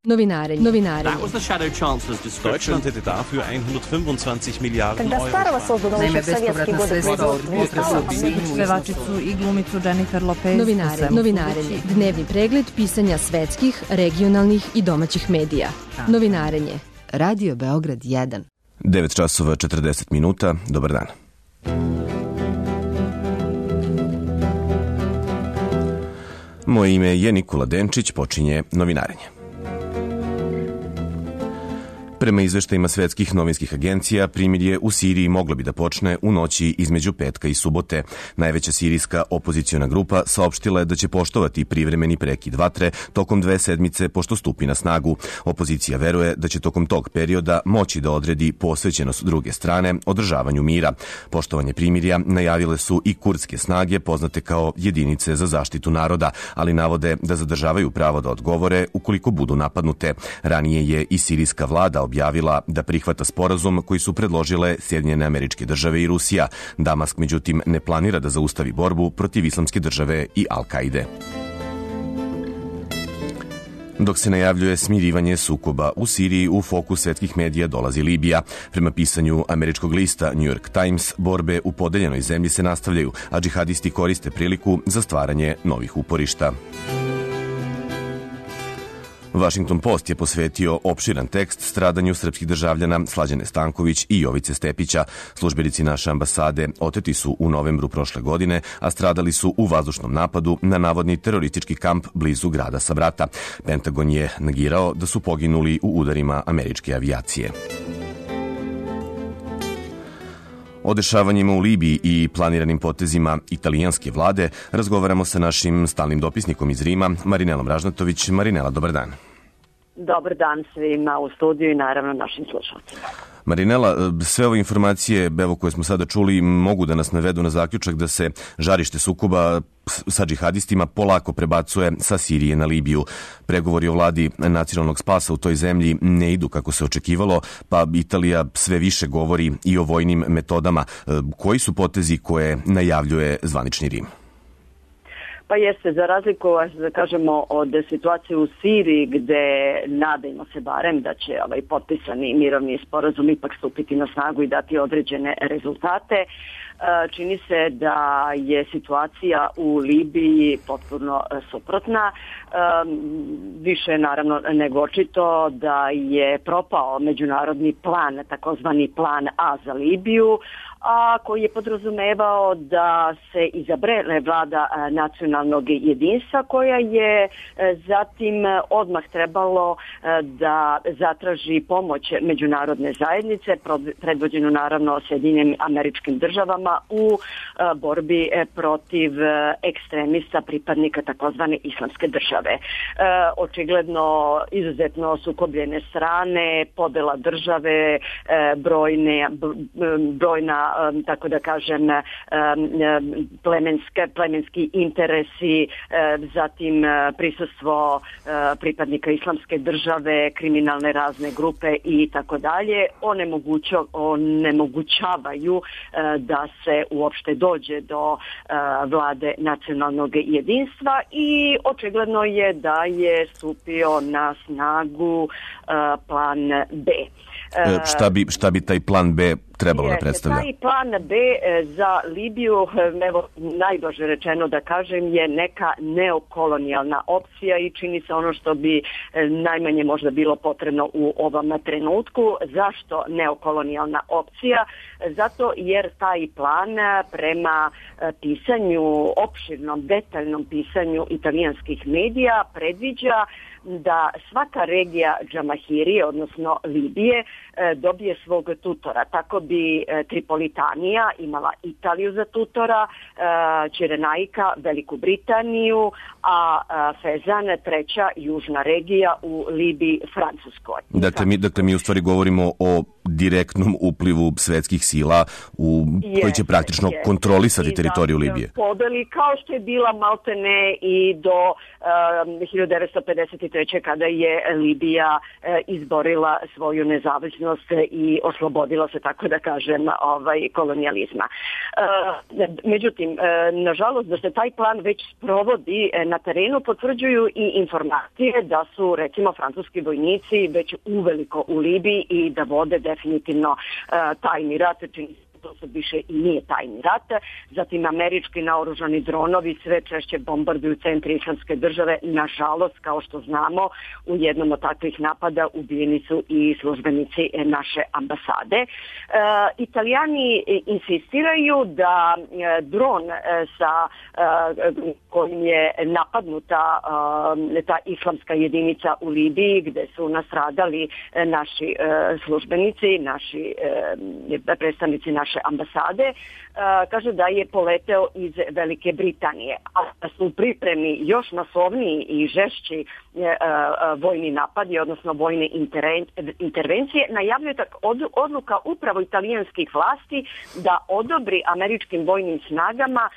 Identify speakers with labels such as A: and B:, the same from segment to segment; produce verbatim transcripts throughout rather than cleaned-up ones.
A: Novinarenje. Novinarenje.
B: Deutschland hätte dafür hundertfünfundzwanzig Miliarden Euro.
C: Naime, bespovratna sredstva od potresa u Sinju, pevačicu i glumicu Jennifer Lopez.
A: Novinarenje. Novinarenje. Dnevni pregled pisanja svetskih, regionalnih i domaćih medija. Novinarenje. Radio Beograd jedan.
D: devet časova četrdeset minuta. Dobar dan. Moje ime je Nikola Denčić, počinje novinarenje. Prema izveštajima svetskih novinskih agencija, primirje u Siriji moglo bi da počne u noći između petka i subote. Najveća sirijska opoziciona grupa saopštila je da će poštovati privremeni prekid vatre tokom dve sedmice pošto stupi na snagu. Opozicija veruje da će tokom tog perioda moći da odredi posvećenost druge strane održavanju mira. Poštovanje primirja najavile su i kurdske snage poznate kao jedinice za zaštitu naroda, ali navode da zadržavaju pravo da odgovore ukoliko budu napadnute. Ranije je i sirijska vlada objavila da prihvata sporazum koji su predložile Sjedinjene Američke Države i Rusija. Damask, međutim, ne planira da zaustavi borbu protiv Islamske države i Al-Kaide. Dok se najavljuje smirivanje sukoba u Siriji, u fokus svetskih medija dolazi Libija. Prema pisanju američkog lista New York Times, borbe u podeljenoj zemlji se nastavljaju, a džihadisti koriste priliku za stvaranje novih uporišta. Washington Post je posvetio opširan tekst stradanju srpskih državljana Slađane Stanković i Jovice Stepića. Službenici naše ambasade oteti su u novembru prošle godine, a stradali su u vazdušnom napadu na navodni teroristički kamp blizu grada Sabrata. Pentagon je negirao da su poginuli u udarima američke avijacije. O dešavanjima u Libiji i planiranim potezima italijanske vlade razgovaramo sa našim stalnim dopisnikom iz Rima, Marinelom Ražnatović. Marinela, dobar dan.
E: Dobar dan svima u studiju i naravno našim slušalcima.
D: Marinela, sve ove informacije evo, koje smo sada čuli mogu da nas navedu na zaključak da se žarište sukoba sa džihadistima polako prebacuje sa Sirije na Libiju. Pregovori o vladi nacionalnog spasa u toj zemlji ne idu kako se očekivalo, pa Italija sve više govori i o vojnim metodama. Koji su potezi koje najavljuje zvanični Rim?
E: Pa jeste, za razliku, da kažemo, od situacije u Siriji gde nadajmo se barem da će ovaj potpisani mirovni sporazum ipak stupiti na snagu i dati određene rezultate, čini se da je situacija u Libiji potpuno suprotna. Više naravno nego očito da je propao međunarodni plan, takozvani plan A za Libiju, a koji je podrazumevao da se izabere vlada nacionalnog jedinstva koja je zatim odmah trebalo da zatraži pomoć međunarodne zajednice, predvođenu naravno Sjedinjenim Američkim Državama u borbi protiv ekstremista pripadnika takozvane Islamske države. Očigledno izuzetno sukobljene strane, podela države, brojne, brojna tako da kažem plemenske, plemenski interesi, zatim prisustvo pripadnika Islamske države, kriminalne razne grupe i tako dalje onemogućavaju da se uopšte dođe do vlade nacionalnog jedinstva i očigledno je da je stupio na snagu plan B.
D: Šta bi, šta bi taj plan B trebalo da predstavlja?
E: Taj plan B za Libiju, evo najblaže rečeno da kažem, je neka neokolonijalna opcija i čini se ono što bi najmanje možda bilo potrebno u ovom trenutku. Zašto neokolonijalna opcija? Zato jer taj plan prema pisanju, opširnom, detaljnom pisanju italijanskih medija predviđa da svaka regija Džamahirije, odnosno Libije, dobije svog tutora. Tako bi Tripolitanija imala Italiju za tutora, Ćirenajka Veliku Britaniju, a Fezan treća južna regija u Libiji Francuskoj.
D: Dakle mi, dakle, mi u stvari govorimo o direktnom uplivu svetskih sila u,
E: yes,
D: koji će praktično
E: yes.
D: kontrolisati teritoriju Libije.
E: Podeli kao što je bila maltene i do um, hiljadu devetsto pedeset treće. kada je Libija uh, izborila svoju nezavisnost i oslobodila se, tako da kažem, ovaj, kolonijalizma. Uh, međutim, uh, nažalost da se taj plan već sprovodi uh, na terenu potvrđuju i informacije da su recimo francuski vojnici već uveliko u Libiji i da vode definitivno uh, tajni rat, čini to se više i nije tajni rat. Zatim američki naoružani dronovi sve češće bombarduju centri Islamske države. Nažalost, kao što znamo, u jednom od takvih napada ubijeni su i službenici naše ambasade. E, Italijani insistiraju da dron sa e, kojim je napadnuta e, ta islamska jedinica u Libiji, gde su nastradali naši e, službenici, naši e, predstavnici naše ambasade, kaže da je poleteo iz Velike Britanije, a da su u pripremi još masovniji i žešći vojni napadi, odnosno vojne intervencije. Najavljuje tak odluka upravo italijanskih vlasti da odobri američkim vojnim snagama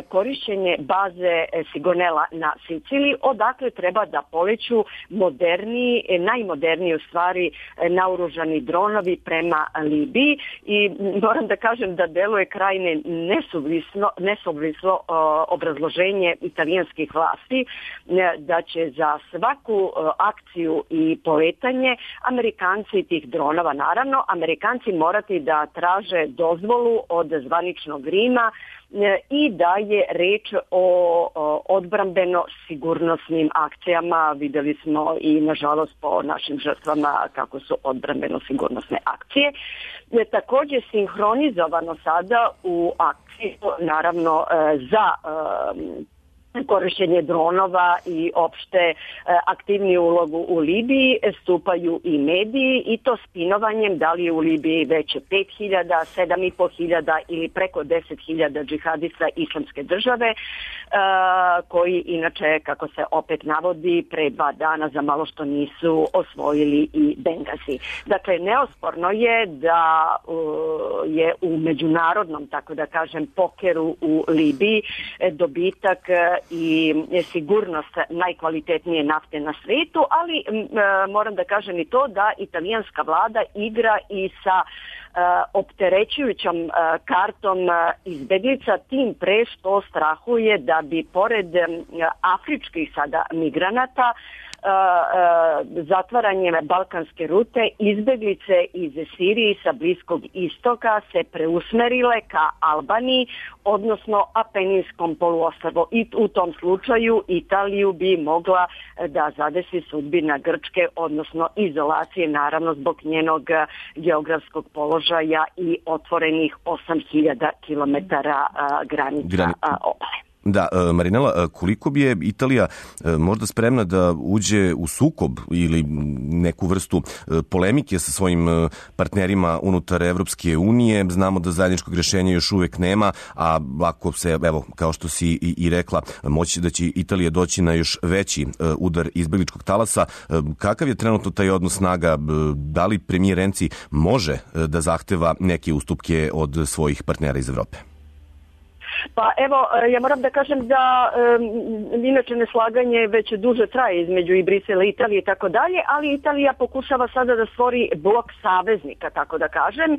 E: korišćenje baze Sigonella na Siciliji, odakle treba da poleću moderniji, najmoderniji u stvari naoružani dronovi prema Libiji. I moram da kažem da deluje krajne nesuvislo, nesuvislo uh, obrazloženje italijanskih vlasti uh, da će za svaku uh, akciju i poletanje Amerikanci tih dronova, naravno, Amerikanci morati da traže dozvolu od zvaničnog Rima uh, i da je reč o, o odbrambeno-sigurnosnim akcijama. Videli smo i nažalost po našim žrtvama kako su odbrambeno-sigurnosne akcije. Je također sinhronizovano sada u akciju, naravno za korišćenje dronova i opšte aktivniju ulogu u Libiji stupaju i mediji, i to spinovanjem da li je u Libiji već pet hiljada, sedam i po hiljada ili preko deset hiljada džihadista Islamske države, koji inače, kako se opet navodi, pre dva dana za malo što nisu osvojili i Bengazi. Dakle, neosporno je da je u međunarodnom, tako da kažem, pokeru u Libiji dobitak i sigurnost najkvalitetnije nafte na svetu, ali m, moram da kažem i to da italijanska vlada igra i sa Uh, opterećujućom uh, kartom uh, izbeglica, tim pre što strahuje da bi pored um, afričkih sada migranata Uh, uh, zatvaranjem balkanske rute izbeglice iz Sirije sa Bliskog istoka se preusmerile ka Albaniji, odnosno Apeninskom poluostrvu, i u tom slučaju Italiju bi mogla da zadesi sudbina Grčke, odnosno izolacije, naravno zbog njenog geografskog položaja i otvorenih osam hiljada kilometara uh, granica Grani. uh, obale.
D: Da, Marinela, koliko bi je Italija možda spremna da uđe u sukob ili neku vrstu polemike sa svojim partnerima unutar Evropske unije? Znamo da zajedničkog rješenja još uvek nema, a ako se, evo, kao što si i, i rekla, moći da će Italija doći na još veći udar izbegličkog talasa. Kakav je trenutno taj odnos snaga? Da li premijer Renzi može da zahteva neke ustupke od svojih partnera iz Evrope?
E: Pa evo, ja moram da kažem da um, inače neslaganje već duže traje između i Brisela i Italije i tako dalje, ali Italija pokušava sada da stvori blok saveznika, tako da kažem. E,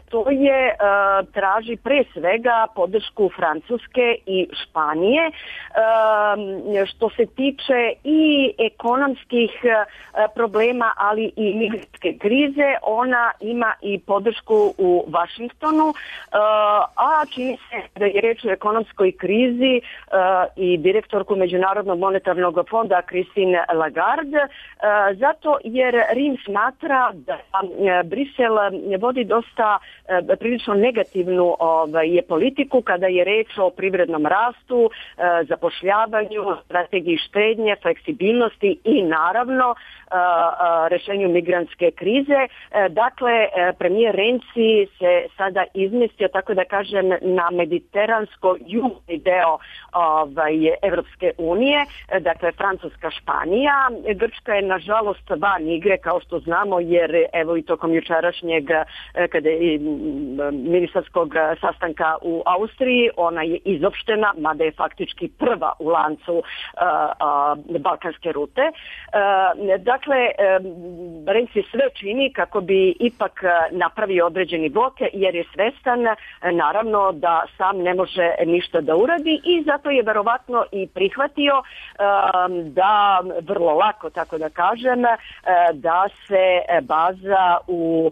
E: to je, uh, traži pre svega podršku Francuske i Španije. Um, što se tiče i ekonomskih uh, problema, ali i migrantske krize, ona ima i podršku u Vašingtonu, uh, a čini se da je reč o ekonomskoj krizi uh, i direktorku Međunarodnog monetarnog fonda Christine Lagarde, uh, zato jer Rim smatra da uh, Brisel vodi dosta uh, prilično negativnu ovaj, je politiku kada je reč o privrednom rastu, uh, zapošljavanju, strategiji štednje, fleksibilnosti i naravno uh, uh, rešenju migrantske krize. Uh, dakle, uh, premijer Renzi se sada izmestio, tako da kažem, na mediteran britansko-južni deo ovaj, Evropske unije, dakle Francuska, Španija. Grčka je nažalost van igre, kao što znamo, jer evo i tokom jučerašnjeg kada je ministarskog sastanka u Austriji, ona je izopštena, mada je faktički prva u lancu a, a, balkanske rute. A, dakle, Renzi sve čini kako bi ipak napravio određeni blok, jer je svestan naravno da sam ne može ništa da uradi i zato je verovatno i prihvatio um, da vrlo lako, tako da kažem, da se baza u,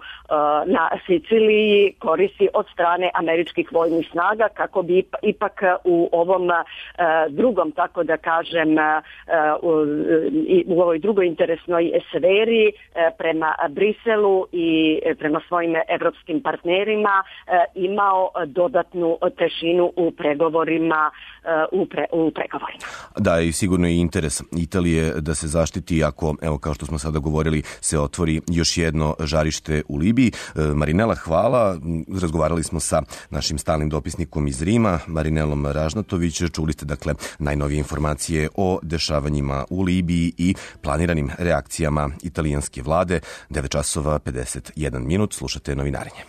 E: na Siciliji koristi od strane američkih vojnih snaga kako bi ipak u ovom drugom, tako da kažem, u, u ovoj drugoj interesnoj sferi prema Briselu i prema svojim evropskim partnerima imao dodatnu težinu u pregovorima u, pre, u pregovorima.
D: Da, i sigurno je interes Italije da se zaštiti ako, evo kao što smo sada govorili, se otvori još jedno žarište u Libiji. Marinela, hvala. Razgovarali smo sa našim stalnim dopisnikom iz Rima, Marinelom Ražnatović. Čuli ste dakle najnovije informacije o dešavanjima u Libiji i planiranim reakcijama italijanske vlade. devet časova pedeset jedan minut. Slušate Novinarenje.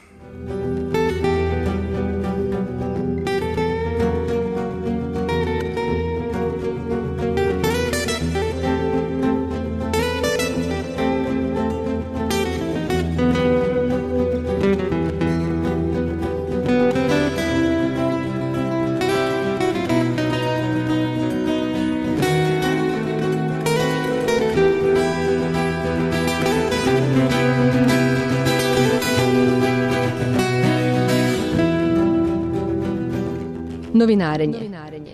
A: Novinarenje.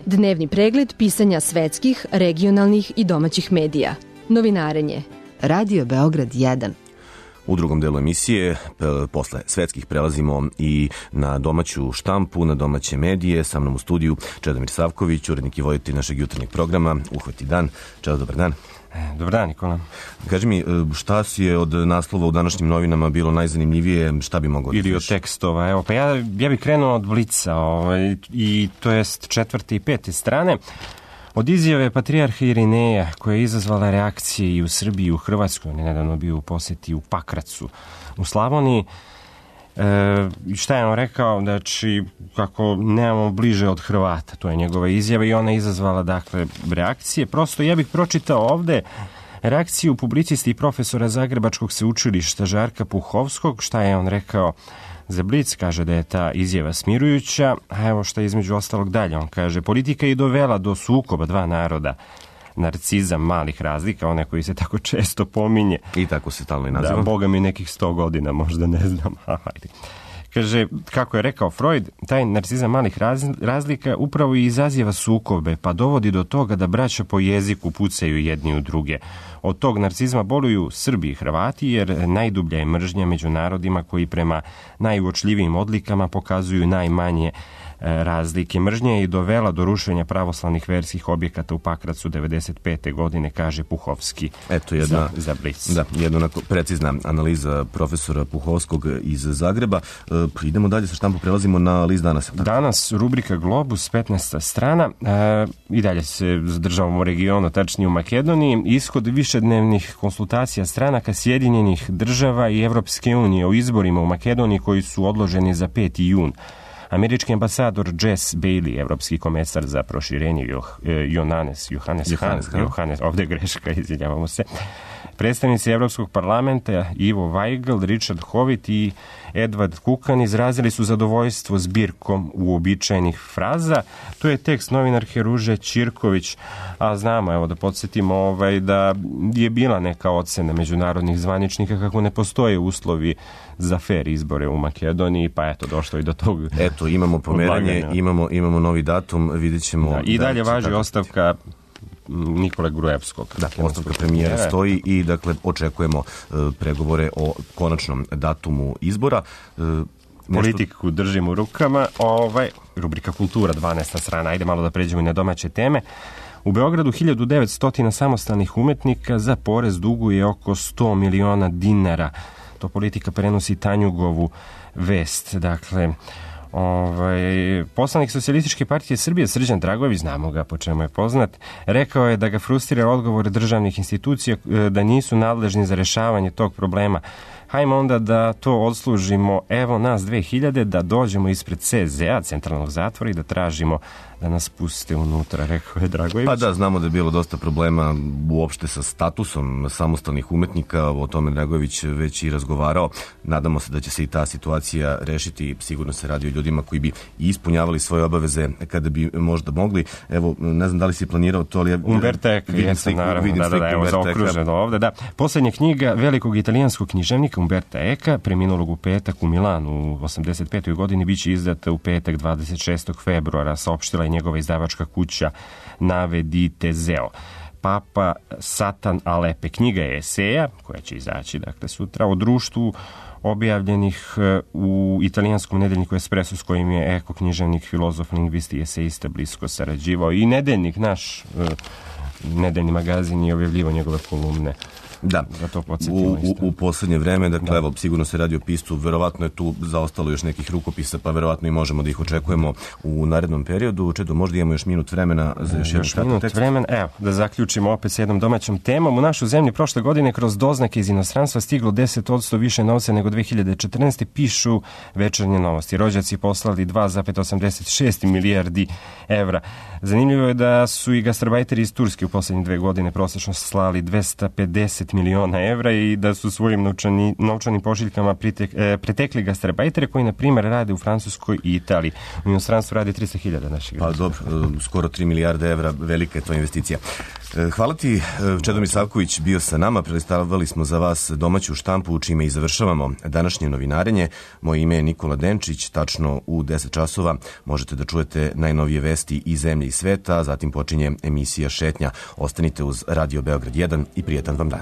A: Dnevni pregled pisanja svetskih, regionalnih i domaćih medija. Novinarenje. Radio Beograd jedan.
D: U drugom delu emisije, posle svetskih, prelazimo i na domaću štampu, na domaće medije. Sa mnom u studiju Čedomir Savković, urednik i voditelj našeg jutarnjeg programa Uhvati dan. Čedo, dobar dan.
F: Dobar dan, Nikola.
D: Kaži mi, šta si je od naslova u današnjim novinama bilo najzanimljivije, šta bi mogao da
F: ili od tekstova? Evo, pa ja, ja bih krenuo od Blica, ovaj, i to jest četvrte i pete strane. Od izjave patrijarha Irineja, koja je izazvala reakcije i u Srbiji i u Hrvatskoj, on je nedavno bio u posjeti u Pakracu u Slavoniji. E, šta je on rekao? Znači, kako nemamo bliže od Hrvata, to je njegova izjava i ona je izazvala, dakle, reakcije. Prosto ja bih pročitao ovde reakciju publicisti i profesora Zagrebačkog sveučilišta Žarka Puhovskog. Šta je on rekao za Blic? Kaže da je ta izjava smirujuća, a evo šta je između ostalog dalje. On kaže, politika je dovela do sukoba dva naroda. Narcizam malih razlika, one koji se tako često pominje.
D: I tako se stalno i naziva.
F: Da, boga mi nekih sto godina, možda ne znam. Hajde. Kaže, kako je rekao Freud, taj narcizam malih razlika upravo i izaziva sukobe, pa dovodi do toga da braća po jeziku pucaju jedni u druge. Od tog narcizma boluju Srbi i Hrvati, jer najdublja je mržnja među narodima koji prema najuočljivijim odlikama pokazuju najmanje razlike. Mržnja je i dovela do rušenja pravoslavnih verskih objekata u Pakracu devedeset pete godine, kaže Puhovski.
D: Eto jedna,
F: za, za Blic.
D: Da, jedna onako precizna analiza profesora Puhovskog iz Zagreba. E, idemo dalje sa štampu, prelazimo na list Danas.
F: Danas rubrika Globus, petnaesta strana. E, I dalje se zadržavamo u regionu, tačnije u Makedoniji. Ishod višednevnih konsultacija stranaka Sjedinjenih država i Evropske unije o izborima u Makedoniji koji su odloženi za peti jun. Američki ambasador Jess Bailey, evropski komesar za proširenje, Johannes, Johannes,
D: Johannes,
F: Johannes, ovdje greška, izvinjavamo se, predstavnici Evropskog parlamenta Ivo Weigl, Richard Howitt i Edward Kukan izrazili su zadovoljstvo zbirkom uobičajenih fraza. To je tekst novinarke Ruže Ćirković, a znamo, evo da podsjetimo, ovaj, da je bila neka ocena međunarodnih zvaničnika kako ne postoje uslovi za fer izbore u Makedoniji, pa eto, došlo i do tog.
D: Eto, imamo pomeranje, imamo, imamo novi datum, vidjet ćemo.
F: Da, I dalje
D: da,
F: važi
D: tako
F: ostavka Nikole Grujevskog.
D: Dakle, ostavka premijera stoji i dakle očekujemo uh, pregovore o konačnom datumu izbora. Uh,
F: Politiku nešto... držim u rukama. Ovaj, rubrika Kultura, dvanaesta strana. Ajde malo da pređemo i na domaće teme. U Beogradu hiljadu devetsto samostalnih umetnika za porez duguje oko sto miliona dinara. To Politika prenosi Tanjugovu vest. Dakle, Ovaj, poslanik Socijalističke partije Srbije Srđan Dragojević, znamo ga po čemu je poznat, rekao je da ga frustrira odgovor državnih institucija da nisu nadležni za rešavanje tog problema. Hajmo onda da to odslužimo, evo nas dve hiljade, da dođemo ispred C Z A, centralnog zatvora, i da tražimo da nas puste unutra, rekao je Dragojević.
D: Pa da, znamo da je bilo dosta problema uopšte sa statusom samostalnih umetnika, o tome Dragojević već i razgovarao. Nadamo se da će se i ta situacija rešiti, sigurno se radi o ljudima koji bi ispunjavali svoje obaveze kada bi možda mogli. Evo, ne znam da li si planirao to, ali ja
F: Umberto Eco,
D: vidim
F: jesam,
D: sliku,
F: naravno,
D: vidim
F: da, da, da, evo, zaokruženo ovde, da. Poslednja knjiga velikog italijanskog književnika Umberta Eca, preminulog u petak u Milanu u osamdeset petoj godini, biće izdata u petak dvadeset šestog februara, saopštila je njegova izdavačka kuća Nave di Teseo. Papa Satan Alepe. Knjiga je eseja, koja će izaći dakle sutra, o društvu objavljenih u italijanskom nedeljniku Espresso, s kojim je Eko, književnik, filozof, lingvist i eseista, blisko sarađivao. I nedeljnik, naš nedeljni magazin, je objavljivao njegove kolumne.
D: Da, u, u, u poslednje vreme, dakle, da. Evo, sigurno se radi o piscu, verovatno je tu zaostalo još nekih rukopisa, pa verovatno i možemo da ih očekujemo u narednom periodu. Čedo, možda imamo još minut vremena za još jedan kratak tekst.
F: Vremena, evo, da zaključimo opet s jednom domaćom temom. U našu zemlju prošle godine kroz doznake iz inostranstva stiglo deset odsto više novca nego dve hiljade četrnaeste. Pišu Večernje novosti. Rođaci poslali dva zarez osamdeset šest milijardi evra. Zanimljivo je da su i gastarbajteri iz Turske u poslednje dve godine prosečno slali dvesta pedeset miliona evra i da su svojim novčani, novčanim pošiljkama pritek, e, pretekli gastarbajtere koji, na primjer, rade u Francuskoj i Italiji. U inostranstvu radi trista hiljada naših građana.
D: Pa dobro, skoro tri milijarde evra, velika je to investicija. Hvala ti, Čedomir Savković bio sa nama, prelistavali smo za vas domaću štampu, čime i završavamo današnje novinarenje. Moje ime je Nikola Denčić, tačno u deset časova možete da čujete najnovije vesti iz zemlje i sveta, zatim počinje emisija Šetnja. Ostanite uz Radio Beograd jedan i prijetan vam dan.